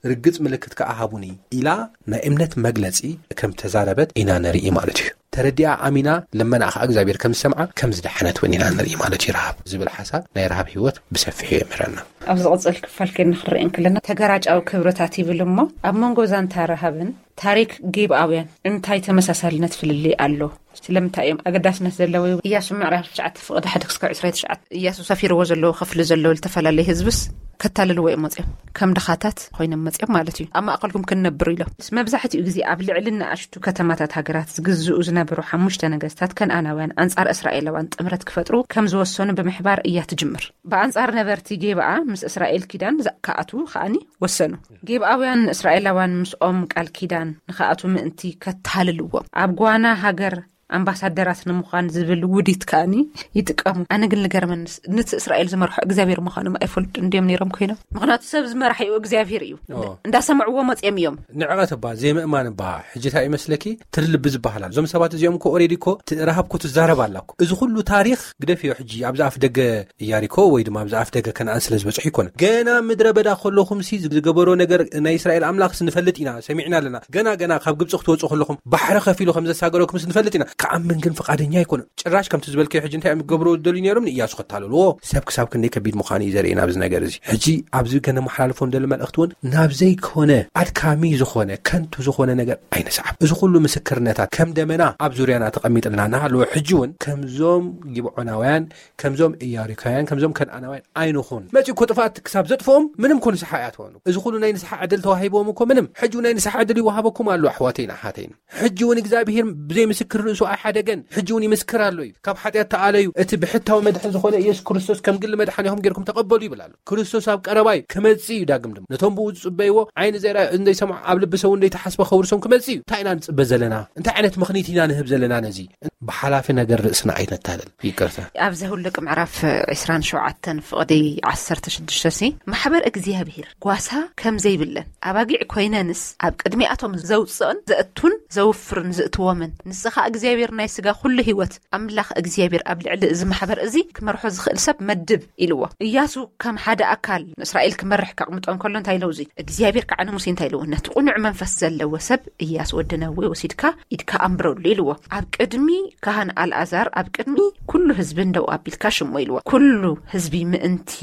ርግጽ ምልክት ከኣ ሃቡኒ ኢላ ናይ እምነት መግለጺ ከም ተዛረበት ኢና ንርኢ ማለት እዩ። ተረዲኣ ኣሚና ልመና ከኣ እግዚኣብሔር ከም ዝሰምዓ ከም ዝደሓነት እውን ኢና ንርኢ ማለት እዩ። ረሃብ ዝብል ሓሳብ ናይ ረሃብ ህይወት ብሰፊሑ የምህረና። ኣብ ዝቕጽል ክፋል ከይድና ክንርኢ እንከለና ተገራጫዊ ክብርታት ይብል እሞ ኣብ መንጎ ዛንታ ረሃብን ታሪክ ጌብኣውያን እንታይ ተመሳሳልነት ፍልልይ ኣሎ? ስለምንታይ እዮም ኣገዳስነት ዘለዎ? ኢያሱ ምዕራፍ ትሽዓተ ፍቕዲ ሓደ ክስካብ ዕስራ ትሽዓተ ኢያሱ ሰፊርዎ ዘለዎ ክፍሊ ዘለዉ ዝተፈላለዩ ህዝብስ ከታልልዎ እዮም መፅዮም። ከም ድኻታት ኮይኖም መፅዮም ማለት እዩ። ኣብ ማእኸልኩም ክንነብር ኢሎም። ምስ መብዛሕትኡ ግዜ ኣብ ልዕሊ ንኣሽቱ ከተማታት ሃገራት ዝግዝኡ ዝነበሩ ሓሙሽተ ነገስታት ከነኣናውያን ኣንጻር እስራኤላውያን ጥምረት ክፈጥሩ ከም ዝወሰኑ ብምሕባር እያ ትጅምር። ብኣንጻር ነበርቲ ጌብኣ ምስ እስራኤል ኪዳን ዛ-፣ ክኣትዉ ከኣኒ ወሰኑ። ጌብኣውያን እስራኤላውያን ምስኦም ቃል ኪዳን ንኽኣትዉ ምእንቲ ከታልልዎም ኣብ ጓና ሃገር ኣምባሳደራት ንምዃን ዝብል ውዲት ከኣኒ ይጥቀሙ። ኣነ ግን ልገርመንስ፣ ነቲ እስራኤል ዝመርሖ እግዚኣብሔር ምዃኖም ኣይፈልጡ እንድዮም ነይሮም ኮይኖም። ምኽንያቱ ሰብ ዝመራሕ እዩ እግዚኣብሔር እዩ። ኦ። እንዳሰምዕዎ መፅዮም እዮም። ንዕቐት እባ፣ ዘይምእማን እባ፣ ሕጂ እንታይ ይመስለኪ? ትርልቢ ዝበሃል ኣሎ። እዞም ሰባት እዚኦም እኮ ኦሬዲ እኮ ት-፣ ረሃብ እኮ ትዛረብ ኣላ እኮ። እዚ ኩሉ ታሪኽ ግደፍዮ ሕጂ፣ ኣብዚ ኣፍ ደገ ኢያሪኮ ወይ ድማ ኣብዚ ኣፍ ደገ ከነኣን ስለ ዝበጽሑ ይኮነ። ገና ምድረ በዳ ከለኹምሲ ዝገበሮ ነገር ናይ እስራኤል ኣምላኽስ ንፈልጥ ኢና፣ ሰሚዕና ኣለና። ገና፣ ገና ካብ ግብጺ ክትወጹ ከለኹም ባሕሪ ከፊሉ ከም ዘሳገረኩምስ ንፈልጥ ኢና። ክኣምን ግን ፍቓደኛ ኣይኮነን። ጭራሽ ከምቲ ዝበልከዮ ሕጂ እንታይ እዮም ክገብሩ ዝደልዩ ነይሮም? ንኢያሱ ከታልልዎ። ሰብ ክሳብ ክንደይ ከቢድ ምዃኑ እዩ ዘርእየና ኣብዚ ነገር እዚ። ሕጂ ኣብዚ ከነመሓላልፎ ንደሊ መልእኽቲ እውን ናብ ዘይኮነ ኣድካሚ ዝኾነ ከንቱ ዝኾነ ነገር ኣይንስዓብ። እዚ ኩሉ ምስክርነታት ከም ደመና ኣብ ዙርያና ተቐሚጥልና እናሃለወ ሕጂ እውን ከምዞም ጊብዖናውያን ከምዞም ኢያሪካውያን፣ ከምዞም ከነኣናውያን ኣይንኹን። መጺኡ እኮ ጥፍኣት ክሳብ ዘጥፍኦም ምንም እኮ ንስሓ ኣይኣትወኑ። እዚ ኩሉ ናይ ንስሓ ዕድል ተዋሂብዎም እኮ ምንም። ሕጂ እውን ናይ ንስሓ ዕድል ይወሃበኩም ኣሎ ኣሕዋተይን ኣሓተይን። ሕጂ እውን እግዚኣብሄር ብዘይ ምስክር ርእሱ ኣይሓደገን። ሕጂ እውን ይምስክር ኣሎ እዩ። ካብ ሓጢኣት ተኣለዩ፣ እቲ ብሕታዊ መድሕን ዝኾነ ኢየሱስ ክርስቶስ ከም ግሊ መድሓኒኹም ጌርኩም ተቐበሉ ይብል ኣሎ። ክርስቶስ ኣብ ቀረባ እዩ፣ ክመጽእ እዩ ዳግም ድማ። ነቶም ብኡ ዝጽበይዎ፣ ዓይኒ ዘይረኣዩ፣ ዘይሰምዑ፣ ኣብ ልቢ ሰብ እውን ዘይተሓስበ ከውርሶም ክመጽእ እዩ። እንታይ ኢና ንጽበ ዘለና? እንታይ ዓይነት ምኽኒት ኢና ንህብ ዘለና ነዚ? ብሓላፊ ነገር ርእስና ኣይነታለል። ይቅርታ። ኣብ ዘሁልቅ ምዕራፍ ዕስራን ሸውዓተን ፍቕዲ ዓሰርተ ሽዱሽተ ሲ፣ ማሕበር እግዚኣብሔር ጓሳ ከም ዘይብለን፣ ኣባጊዕ ኮይነንስ ኣብ ቅድሚኣቶም ዘውፅእን ዘእቱን ዘውፍርን ዝእትዎምን፣ ንስኻ እግዚኣብሔር እግዚኣብሔር ናይ ስጋ ኩሉ ህይወት ኣምላኽ እግዚኣብሔር ኣብ ልዕሊ እዚ ማሕበር እዚ ክመርሖ ዝኽእል ሰብ መድብ ኢልዎ። እያሱ ከም ሓደ ኣካል ንእስራኤል ክመርሕ ከቕምጦ እንከሎ እንታይ ኢለው? እዚ እግዚኣብሔር ከዓ ንሙሴ እንታይ ኢልዎ? ነቲ ቁኑዕ መንፈስ ዘለዎ ሰብ እያሱ ወዲ ነዌ ወሲድካ ኢድካ ኣንብረሉ ኢልዎ። ኣብ ቅድሚ ካህን ኣልኣዛር፣ ኣብ ቅድሚ ኩሉ ህዝቢ እንደው ኣቢልካ ሽሞ ኢልዎ። ኩሉ ህዝቢ ምእንቲ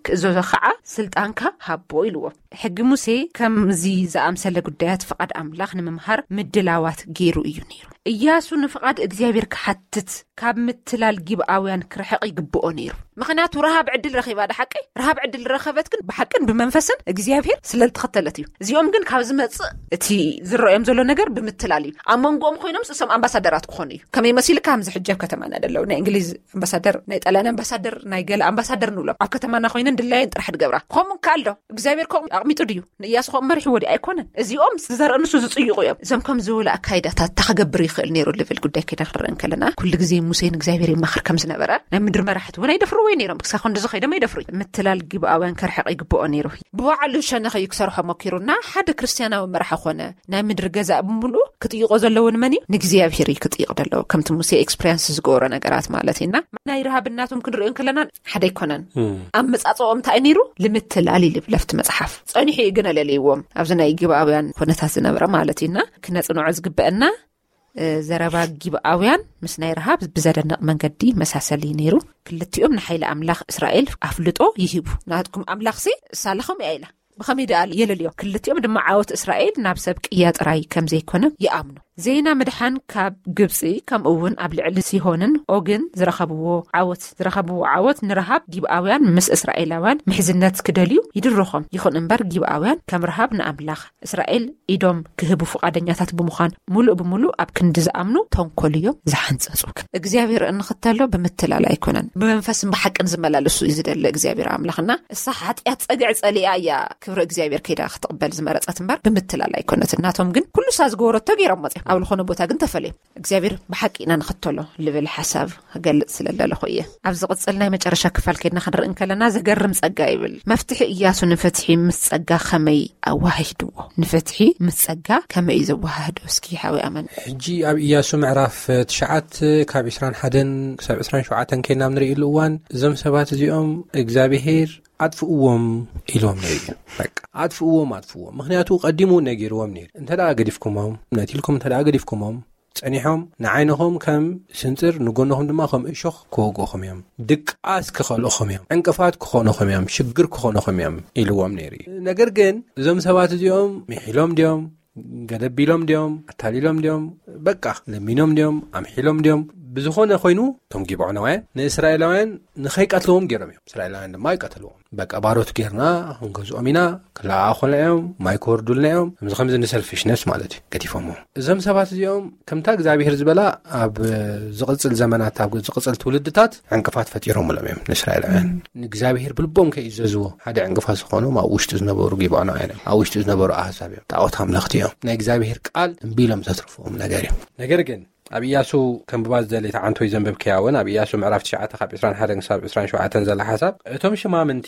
ክእዘዞ ከዓ ስልጣንካ ሃቦ ኢልዎ። ሕጊ ሙሴ ከምዚ ዝኣምሰለ ጉዳያት ፍቓድ ኣምላኽ ንምምሃር ምድላዋት ገይሩ እዩ ነይሩ። እያሱ ንፍቓድ እግዚኣብሔር ክሓትት ካብ ምትላል ጊብኣውያን ክርሕቕ ይግብኦ ነይሩ። ምኽንያቱ ረሃብ ዕድል ረኺባ፣ ዳ ሓቂ ረሃብ ዕድል ረኸበት፣ ግን ብሓቅን ብመንፈስን እግዚኣብሔር ስለ ዝተኸተለት እዩ። እዚኦም ግን ካብ ዝመጽእ እቲ ዝረኦም ዘሎ ነገር ብምትላል እዩ። ኣብ መንጎኦም ኮይኖም እሶም ኣምባሳደራት ክኾኑ እዩ። ከመይ መሲልካ? ከምዚ ሕጂ ኣብ ከተማና ደለው ናይ እንግሊዝ ኣምባሳደር፣ ናይ ጣልያን ኣምባሳደር፣ ናይ ገለ ኣምባሳደር ንብሎም ኣብ ከተማና ኮይነን ድላየን ጥራሕ ድገብራ። ከምኡ ከኣልዶ እግዚኣብሔር ከምኡ ኣቕሚጡ ድዩ? ንእያሱ ከምኡ መሪሕዎ ድዩ? ኣይኮነን። እዚኦም ዝዘርእ ንሱ ዝጽይቑ እዮም። እዞም ከም ዝበሉ ኣካይዳታት እንታይ ክገብር ይኽእል ነይሩ ልብል ጉዳይ ከይዳ ክንርኢ እንከለና፣ ኩሉ ግዜ ሙሴን እግዚኣብሔር ይማኸር ከም ዝነበረ ናይ ምድሪ መራሕቲ እውን ኣይደፍርዎ ነይሮም። ክሳብ ክንዲ ዝኸይዶም ኣይደፍሩ። ምትላል ጊብኣውያን ከርሕቕ ይግብኦ ነይሩ። ብባዕሉ ሸነኸ እዩ ክሰርሖ ሞኪሩና ሓደ ክርስትያናዊ መራሒ ኾነ። ናይ ምድሪ ገዛእ ብምሉኡ ክጥይቆ ዘለዎን መን እዩ? ንእግዚኣብሔር እዩ ክጥይቕ ዘለዎ። ከምቲ ሙሴ ኤክስፕሪንስ ዝገበሮ ነገራት ማለት እዩና፣ ናይ ረሃብ እናቶም ክንሪኦ እንከለና ሓደ ኣይኮነን። ኣብ መጻጽኦም እንታይ ነይሩ? ልምትላል ይልብ ለፍቲ መጽሓፍ። ጸኒሑ እዩ ግን ኣለለይዎም ኣብዚ ናይ ግብኣውያን ኩነታት ዝነበረ ማለት እዩና፣ ክነጽንዖ ዝግበአና እ፣ ዘረባ ጊብኣውያን ምስ ናይ ረሃብ ብዘደንቕ መንገዲ መሳሰሊ ነይሩ። ክልቲኦም ንሓይሊ ኣምላኽ እስራኤል ኣፍልጦ ይህቡ። ናትኩም ኣምላኽሲ እሳ ለኸም እያ ኢላ። ብኸመይ ደኣ የለልዮ? ክልቲኦም ድማ ዓወት እስራኤል ናብ ሰብ ቅያ ጥራይ ከም ዘይኮነ ይኣምኑ። ዜና ምድሓን ካብ ግብጺ፣ ከምኡ እውን ኣብ ልዕሊ ሲሆንን ኦግን ዝረኸብዎ ዓወት፣ ዝረኸብዎ ዓወት ንረሃብ ጊብኣውያን ምስ እስራኤላውያን ምሕዝነት ክደልዩ ይድርኾም። ይኹን እምበር ጊብኣውያን ከም ረሃብ ንኣምላኽ እስራኤል ኢዶም ክህቡ ፍቓደኛታት ብምዃን፣ ሙሉእ ብሙሉእ ኣብ ክንዲ ዝኣምኑ ተንኮል እዮም ዝሓንጸጹ። እግዚኣብሔር እንኽተሎ ብምትላል ኣይኮነን፣ ብመንፈስን ብሓቅን ዝመላለሱ እዩ ዝደሊ እግዚኣብሔር ኣምላኽና። እሳ ሓጢኣት ጸግዒ ጸሊኣ እያ ክብሪ እግዚኣብሔር ከይዳ ክትቕበል ዝመረጸት እምበር ብምትላል ኣይኮነትን። ናቶም ግን ኩሉ እሳ ዝገበረቶ ገይሮም መጺኦም፣ ኣብ ዝኾነ ቦታ ግን ተፈልዮም። እግዚኣብሔር ብሓቂ ኢና ንኽተሎ ልብል ሓሳብ ክገልጽ ስለ ዘለኹ እየ። ኣብ ዝቕጽል ናይ መጨረሻ ክፋል ከይድና ክንርኢ እንከለና፣ ዘገርም ጸጋ ይብል። መፍትሒ እያሱ ንፍትሒ ምስ ጸጋ ከመይ ኣዋሃሂድዎ? ንፍትሒ ምስ ጸጋ ከመይ እዩ ዘወሃህዶ? እስኪ ሓዊ ኣመን። ሕጂ ኣብ እያሱ ምዕራፍ ትሽዓተ ካብ ዕስራን ሓደን ክሳብ ዕስራን ሸውዓተን ከይድና ኣብ ንርእየሉ እዋን፣ እዞም ሰባት እዚኦም እግዚኣብሄር ኣጥፍእዎም ኢልዎም ነይሩ እዩ። በቃ ኣጥፍእዎም፣ ኣጥፍእዎም። ምኽንያቱ ቀዲሙ ነጊርዎም ነይሩ። እንተ ደኣ ገዲፍኩሞም፣ ነቲልኩም እንተ ደኣ ገዲፍኩሞም፣ ጸኒሖም ንዓይንኹም ከም ስንጽር፣ ንጎንኹም ድማ ከም እሾኽ ክወግኡኹም እዮም። ድቃስ ክኸልኡኹም እዮም። ዕንቅፋት ክኾኑኹም እዮም። ሽግር ክኾኑኹም እዮም ኢልዎም ነይሩ እዩ። ነገር ግን እዞም ሰባት እዚኦም ምሒሎም ድዮም? ገደብ ኢሎም ድዮም? ኣታሊሎም ድዮም? በቃ ለሚኖም ድዮም? ኣምሒሎም ድዮም? ብዝኾነ ኮይኑ፣ እቶም ጊብዖናውያን ንእስራኤላውያን ንኸይቀትልዎም ገይሮም እዮም። እስራኤላውያን ድማ ኣይቀተልዎም። በቃ ባሮት ጌርና ክንገዝኦም ኢና፣ ክለኣኹልና እዮም፣ ማይ ክወርዱልና እዮም። ከምዚ ከምዚ ንሰልፊሽነስ ማለት እዩ፣ ገዲፎሞ። እዞም ሰባት እዚኦም ከምታ እግዚኣብሔር ዝበላ ኣብ ዝቕጽል ዘመናት፣ ኣብ ዝቕጽል ትውልድታት ዕንቅፋት ፈጢሮምሎም እዮም ንእስራኤላውያን። ንእግዚኣብሔር ብልቦም ከይእዘዝዎ ሓደ ዕንቅፋት ዝኾኖም ኣብ ውሽጢ ዝነበሩ ጊብዖናውያን እዮም፣ ኣብ ውሽጢ ዝነበሩ ኣህዛብ እዮም። ጣዖት ኣምለኽቲ እዮም። ናይ እግዚኣብሔር ቃል እምቢ ኢሎም ዘትርፍዎም ነገር እዩ። ነገር ግን ኣብ ኢያሱ ከንብባ ዝደለየ ተዓንቶይ ዘንበብክያ እውን ኣብ ኢያሱ ምዕራፍ ትሽዓተ ካብ ዕስራን ሓደን ክሳብ ዕስራን ሸውዓተን ዘላ ሓሳብ፣ እቶም ሽማምንቲ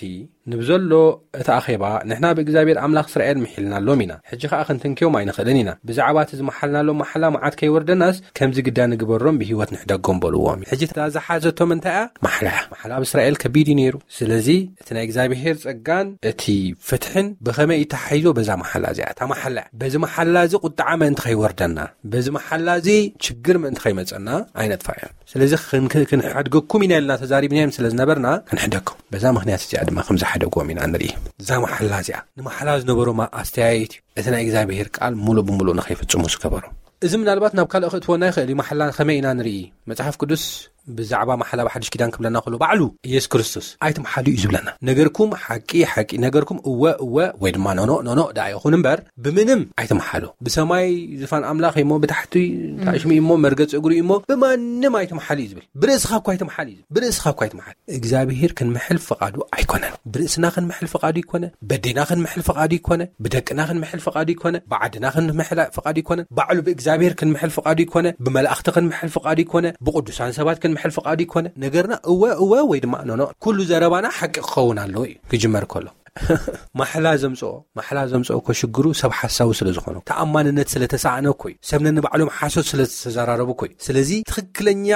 ንብዘሎ እቲ ኣኼባ ንሕና ብእግዚኣብሔር ኣምላኽ እስራኤል ምሒልናሎም ኢና፣ ሕጂ ኸኣ ክንትንክዮም ኣይንኽእልን ኢና። ብዛዕባ እቲ ዝመሓልናሎም መሓላ መዓት ከይወርደናስ ከምዚ ግዳ ንግበሮም ብህይወት ንሕደጎም በልዎም። ሕጂ እታ ዝሓዘቶም እንታይ እያ? ማሕላ እያ። ማሕላ ኣብ እስራኤል ከቢድ እዩ ነይሩ። ስለዚ እቲ ናይ እግዚኣብሔር ጸጋን እቲ ፍትሕን ብኸመይ እዩ ተሓሒዞ? በዛ መሓላ እዚኣ። እታ መሓላ እያ። በዚ መሓላ እዚ ቁጥዓ ምእንቲ ከይወርደና፣ በዚ መሓላ እዚ ችግር ምእንቲ ከይመጸና ኣይነጥፋ እዮም። ስለዚ ክንክ-፣ ክንሓድገኩም ኢና ኢልና ተዛሪብናዮም ስለ ዝነበርና ክንሕደኩም። በዛ ምኽንያት እዚኣ ድማ ከም ዝሓደግዎም ኢና ንርኢ። እዛ መሓላ እዚኣ ንመሓላ ዝነበሮም ኣስተያየት እዩ። እቲ ናይ እግዚኣብሔር ቃል ሙሉእ ብሙሉእ ንኸይፍጽሙ ዝገበሮም። እዚ ምናልባት ናብ ካልእ ክእትወና ይኽእል እዩ። መሓላ ከመይ ኢና ንርኢ? መጽሓፍ ቅዱስ ብዛዕባ መሓላ ብሓድሽ ኪዳን ክብለና ከሎ ባዕሉ ኢየሱስ ክርስቶስ ኣይትምሓሉ እዩ ዝብለና። ነገርኩም ሓቂ ሓቂ፣ ነገርኩም እወ እወ ወይ ድማ ኖኖ ኖኖ ደኣ ይኹን እምበር ብምንም ኣይትምሓሉ። ብሰማይ ዝፋን ኣምላኽ እሞ ብታሕቲ ታሽሚ እሞ መርገጽ እግሩ እሞ ብማንም ኣይትምሓሉ እዩ ዝብል። ብርእስኻ እኳ ኣይትምሓሉ እዩ ዝብል። ብርእስኻ እኳ ኣይትምሓሉ። እግዚኣብሔር ክንምሕል ፍቓዱ ኣይኮነን። ብርእስና ክንምሕል ፍቓዱ ይኮነ፣ በዴና ክንምሕል ፍቓዱ ይኮነ፣ ብደቅና ክንምሕል ፍቓዱ ይኮነ፣ ብዓድና ክንምሕል ፍቓዱ ይኮነ፣ ባዕሉ ብእግዚኣብሔር ክንምሕል ፍቓዱ ይኮነ፣ ብመላእኽቲ ክንምሕል ፍቓዱ ይኮነ፣ ብቅዱሳን ሰባት ክንምሕል ፍቓዱ ይኮነ። ነገርና እወ እወ ወይ ድማ ኖኖ። ኩሉ ዘረባና ሓቂ ክኸውን ኣለዎ እዩ ክጅመር ከሎ። ማሕላ ዘምፅኦ ማሕላ ዘምፅኦ እኮ ሽግሩ ሰብ ሓሳዊ ስለ ዝኾነ፣ ተኣማንነት ስለ ተሳእነ እኮ እዩ። ሰብ ነንባዕሎም ሓሶት ስለ ዝተዘራረቡ እኮ እዩ። ስለዚ ትኽክለኛ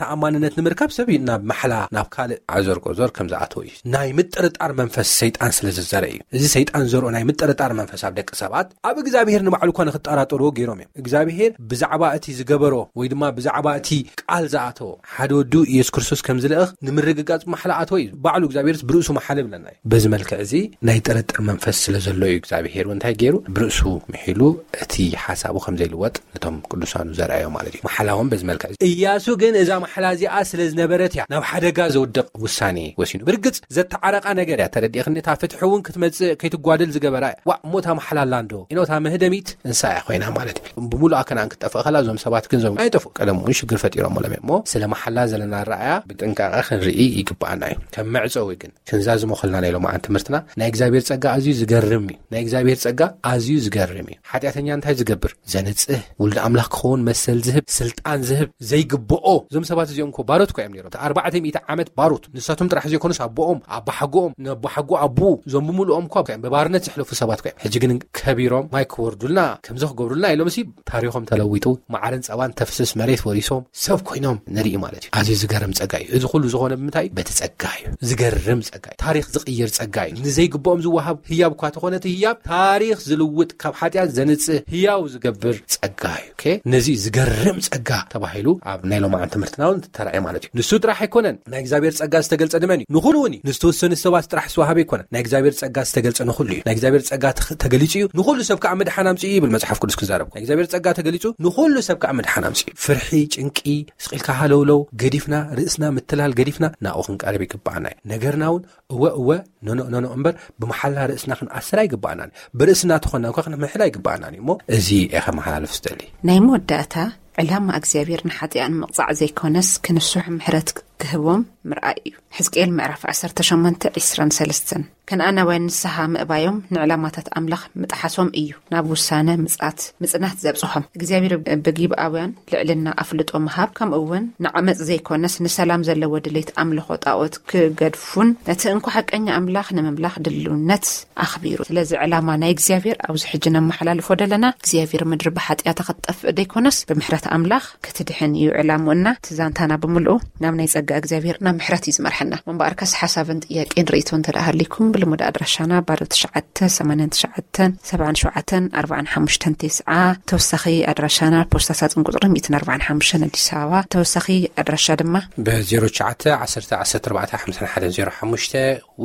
ተኣማንነት ንምርካብ ሰብ እዩ ናብ ማሕላ፣ ናብ ካልእ ዓዘርቆ ዞር ከም ዝኣተወ እዩ። ናይ ምጥርጣር መንፈስ ሰይጣን ስለ ዝዘርእ እዩ። እዚ ሰይጣን ዘርኦ ናይ ምጥርጣር መንፈስ ኣብ ደቂ ሰባት ኣብ እግዚኣብሔር ንባዕሉ እኳ ንኽጠራጠርዎ ገይሮም እዮም። እግዚኣብሔር ብዛዕባ እቲ ዝገበሮ ወይ ድማ ብዛዕባ እቲ ቃል ዝኣተዎ ሓደ ወዱ ኢየሱስ ክርስቶስ ከም ዝልእኽ ንምርግጋጽ ማሕላ ኣተወ እዩ። ባዕሉ እግዚኣብሔርስ ብርእሱ መሓለ ይብለና እዩ። በዚ መልክዕ እዚ ናይ ጥርጥር መንፈስ ስለ ዘሎ እዩ እግዚኣብሔር እውን እንታይ ገይሩ? ብርእሱ ምሒሉ እቲ ሓሳቡ ከም ዘይልወጥ ነቶም ቅዱሳኑ ዘርኣዮ ማለት እዩ። መሓላ እውን በዚ መልክዕ እዚ። እያሱ ግን እዛ መሓላ እዚኣ ስለ ዝነበረት እያ ናብ ሓደጋ ዘውድቕ ውሳኔ ወሲኑ። ብርግጽ ዘተዓረቓ ነገር እያ። ተረዲእኽኒ? እታ ፍትሒ እውን ክትመጽእ ከይትጓደል ዝገበራ እያ። ዋእ፣ እሞ እታ መሓላ ኣላ እንዶ? ኢኖ እታ መህደሚት እንሳ እያ ኮይና ማለት እዩ። ብምሉኣ ከነኣን ክትጠፍእ ከላ እዞም ሰባት ግን ዞም ኣይጠፍኡ። ቀደም እውን ሽግር ፈጢሮም ሎም እዮም። እሞ ስለ መሓላ ዘለና ረኣያ ብጥንቃቐ ክንርኢ ይግባኣና እዩ። ከም መዕጸዊ ግን ክንዛዝሞ ከልና ናይ ሎማዓን ትምህርትና ናይ እግዚኣብሔር ጸጋ ኣዝዩ ዝገርም እዩ። ናይ እግዚኣብሔር ጸጋ ኣዝዩ ዝገርም እዩ። ሓጢኣተኛ እንታይ ዝገብር? ዘንጽህ፣ ውሉድ ኣምላኽ ክኸውን መሰል ዝህብ፣ ስልጣን ዝህብ ዘይግብኦ። እዞም ሰባት እዚኦም እኮ ባሮት እኮ እዮም ነይሮም። እቲ ኣርባዕተ ሚእቲ ዓመት ባሮት። ንሳቶም ጥራሕ ዘይኮኑስ ኣቦኦም፣ ኣባሓጎኦም፣ ነቦሓጎ ኣቦኡ፣ እዞም ብምሉኦም እኮ እዮም ብባርነት ዘሕለፉ ሰባት እኮ እዮም። ሕጂ ግን ከቢሮም ማይ ክወርዱልና፣ ከምዚ ክገብሩልና ኢሎምሲ ታሪኾም ተለዊጡ፣ መዓርን ጸባን ተፍስስ መሬት ወሪሶም ሰብ ኮይኖም ንርኢ ማለት እዩ። ኣዝዩ ዝገርም ጸጋ እዩ። እዚ ኩሉ ዝኾነ ብምንታይ እዩ? በቲ ጸጋ እዩ። ዝገርም ጸጋ እዩ። ታሪኽ ዝቕይር ጸጋ እዩ። ንዘይግብኦም ዝወሃብ ህያብ እኳ ተኾነ እቲ ህያብ ታሪኽ ዝልውጥ፣ ካብ ሓጢኣት ዘንጽህ ህያው ዝገብር ጸጋ እዩ። ኦኬ? ነዚ ዝገርም ጸጋ ተባሂሉ ኣብ ናይ ሎማዓን ትምህርትና እውን ተራእየ ማለት እዩ። ንሱ ጥራሕ ኣይኮነን ናይ እግዚኣብሔር ጸጋ ዝተገልጸ ድመን እዩ? ንኹሉ እውን እዩ። ንዝተወሰኑ ሰባት ጥራሕ ዝተዋሃበ ኣይኮነን። ናይ እግዚኣብሔር ጸጋ ዝተገልጸ ንኹሉ እዩ። ናይ እግዚኣብሔር ጸጋ ተኽ-፣ ተገሊጹ እዩ። ንኹሉ ሰብ ከዓ ምድሓን ኣምጽኡ እዩ ይብል መጽሓፍ ቅዱስ ክዛረብ። ናይ እግዚኣብሔር ጸጋ ተገሊጹ ንኹሉ ሰብ ከዓ ምድሓን ኣምጽኡ እዩ። ፍርሒ፣ ጭንቂ፣ ስቕ ኢልካ ሃለውለው ገዲፍና፣ ርእስና ምትላል ገዲፍና ናብኡ ክንቀርብ ይግባኣና እዩ። ነገርና እውን እወ እወ፣ ኖኖ ኖኖ እምበር ብመሓላ ርእስና ክንኣስር ኣይግባኣናን። ብርእስና ተኾንና እኳ ክንምሕል ኣይግባኣናን እዩ። እሞ እዚ እየ ከመሓላልፍ ዝደሊ። ናይ መወዳእታ ዕላማ እግዚኣብሔር ንሓጢኣን ምቕጻዕ ዘይኮነስ ክንስሑ ምሕረት ክህቦም ምርኣይ እዩ። ሕዝቅኤል ምዕራፍ ዓሰርተ ሸሞንተ ዕስራን ሰለስተን። ከነኣናውያን ንስሓ ምእባዮም ንዕላማታት ኣምላኽ ምጥሓሶም እዩ ናብ ውሳነ ምጽኣት ምጽናት ዘብጽሖም። እግዚኣብሔር ብጊብኣውያን ልዕልና ኣፍልጦ ምሃብ፣ ከምኡ እውን ንዓመጽ ዘይኮነስ ንሰላም ዘለዎ ድሌት ኣምልኾ ጣኦት ክገድፉን ነቲ እንኮ ሓቀኛ ኣምላኽ ንምምላኽ ድልውነት ኣኽቢሩ። ስለዚ ዕላማ ናይ እግዚኣብሔር ኣብዚ ሕጂ ነመሓላልፎ ደለና እግዚኣብሔር ምድሪ ብሓጢኣታ ክትጠፍእ ዘይኮነስ ብምሕረት ኣምላኽ ክትድሕን እዩ ዕላምኡና። እቲ ዛንታና ብምልኡ ናብ ናይ ጸጋ እግዚኣብሔር ናብ ምሕረት እዩ ዝመርሐና። እምበኣርከስ ሓሳብን ጥያቄን ርእይቶ እንተ ደኣ ሃሊኩም ብልሙድ ኣድራሻና ባዶ ትሽዓተ ሰማንያን ትሽዓተን ሰብዓን ሸውዓተን ኣርባዓን ሓሙሽተን ተስዓ። ተወሳኺ ኣድራሻና ፖስታ ሳጥን ቁጽሪ ሚእትን ኣርባዓን ሓሙሽተን ኣዲስ ኣበባ። ተወሳኺ ኣድራሻ ድማ ብ ዜሮ ትሽዓተ ዓሰርተ ዓሰርተ ኣርባዕተ ሓምሳን ሓደን ዜሮ ሓሙሽተ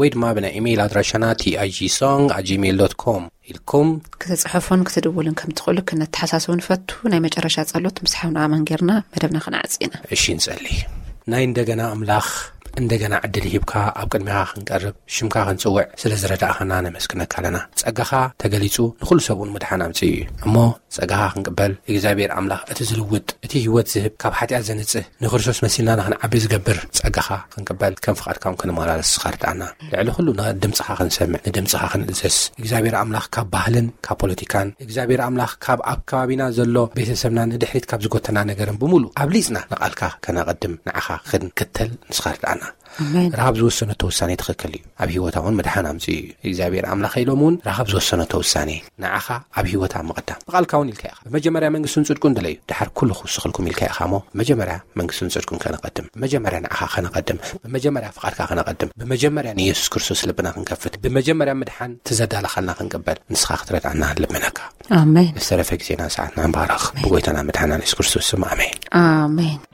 ወይ ድማ ብናይ ኢሜይል ኣድራሻና ቲኣይጂ ሶንግ ኣት ጂሜይል ዶት ኮም ኢልኩም ክትጽሕፉን ክትድውሉን ከም ትኽእሉ ክነተሓሳስቡ ንፈቱ። ናይ መጨረሻ ጸሎት ምስ ሓውና ኣማን ጌርና መደብና ክንዓጽ ኢና። እሺ፣ ንጸሊ። ናይ እንደገና ኣምላኽ፣ እንደገና ዕድል ሂብካ ኣብ ቅድሚኻ ክንቀርብ፣ ሽምካ ክንጽውዕ ስለ ዝረዳእኻና ነመስግነካ ኣለና። ጸጋኻ ተገሊጹ ንኹሉ ሰብ እውን ምድሓን ኣምጽኡ እዩ። እሞ ጸጋኻ ክንቅበል እግዚኣብሔር ኣምላኽ፣ እቲ ዝልውጥ፣ እቲ ህይወት ዝህብ፣ ካብ ሓጢኣት ዘንጽህ፣ ንክርስቶስ መሲልና ንኽንዓቢ ዝገብር ጸጋኻ ክንቅበል፣ ከም ፍቓድካ እውን ክንመላለስ ንስኻ ርድኣና። ልዕሊ ኩሉ ን-፣ ድምጽኻ ክንሰምዕ፣ ንድምጽኻ ክንእዘዝ፣ እግዚኣብሔር ኣምላኽ ካብ ባህልን ካብ ፖለቲካን፣ እግዚኣብሔር ኣምላኽ ካብ ኣብ ከባቢና ዘሎ ቤተሰብና ንድሕሪት ካብ ዝጎተና ነገርን ብምሉእ ኣብሊጽና ንቓልካ ከነቐድም፣ ንዓኻ ክንክተል ንስኻ ርድኣና። ኣሜን። ረሃብ ዝወሰነቶ ውሳኔ ትኽክል እዩ። ኣብ ህይወታ እውን ምድሓን ኣምጽኡ እዩ። እግዚኣብሔር ኣምላኸ ኢሎም እውን ረሃብ ዝወሰነቶ ውሳኔ ንዓኻ ኣብ ህይወታ ምቕዳም። ብቓልካ እውን ኢልካ ኢኻ። ብመጀመርያ መንግስቱን ጽድቁን ድለዩ፣ ድሓር ኩሉ ክውስኽልኩም ኢልካ ኢኻ እሞ፣ መጀመርያ መንግስቱን ጽድቁን ከነቐድም፣ ብመጀመርያ ንዓኻ ከነቐድም፣ ብመጀመርያ ፍቓድካ ከነቐድም፣ ብመጀመርያ ንየሱስ ክርስቶስ ልብና ክንከፍት፣ ብመጀመርያ ምድሓን ትዘዳለኻልና ክንቅበል ንስኻ ክትረድኣና ልምነካ። ኣሜን። ዝተረፈ ግዜና ሰዓትና ንባረኽ። ኣሜን። ብጎይታና መድሓና የሱስ ክርስቶስ ስም ኣሜን። ኣሜን።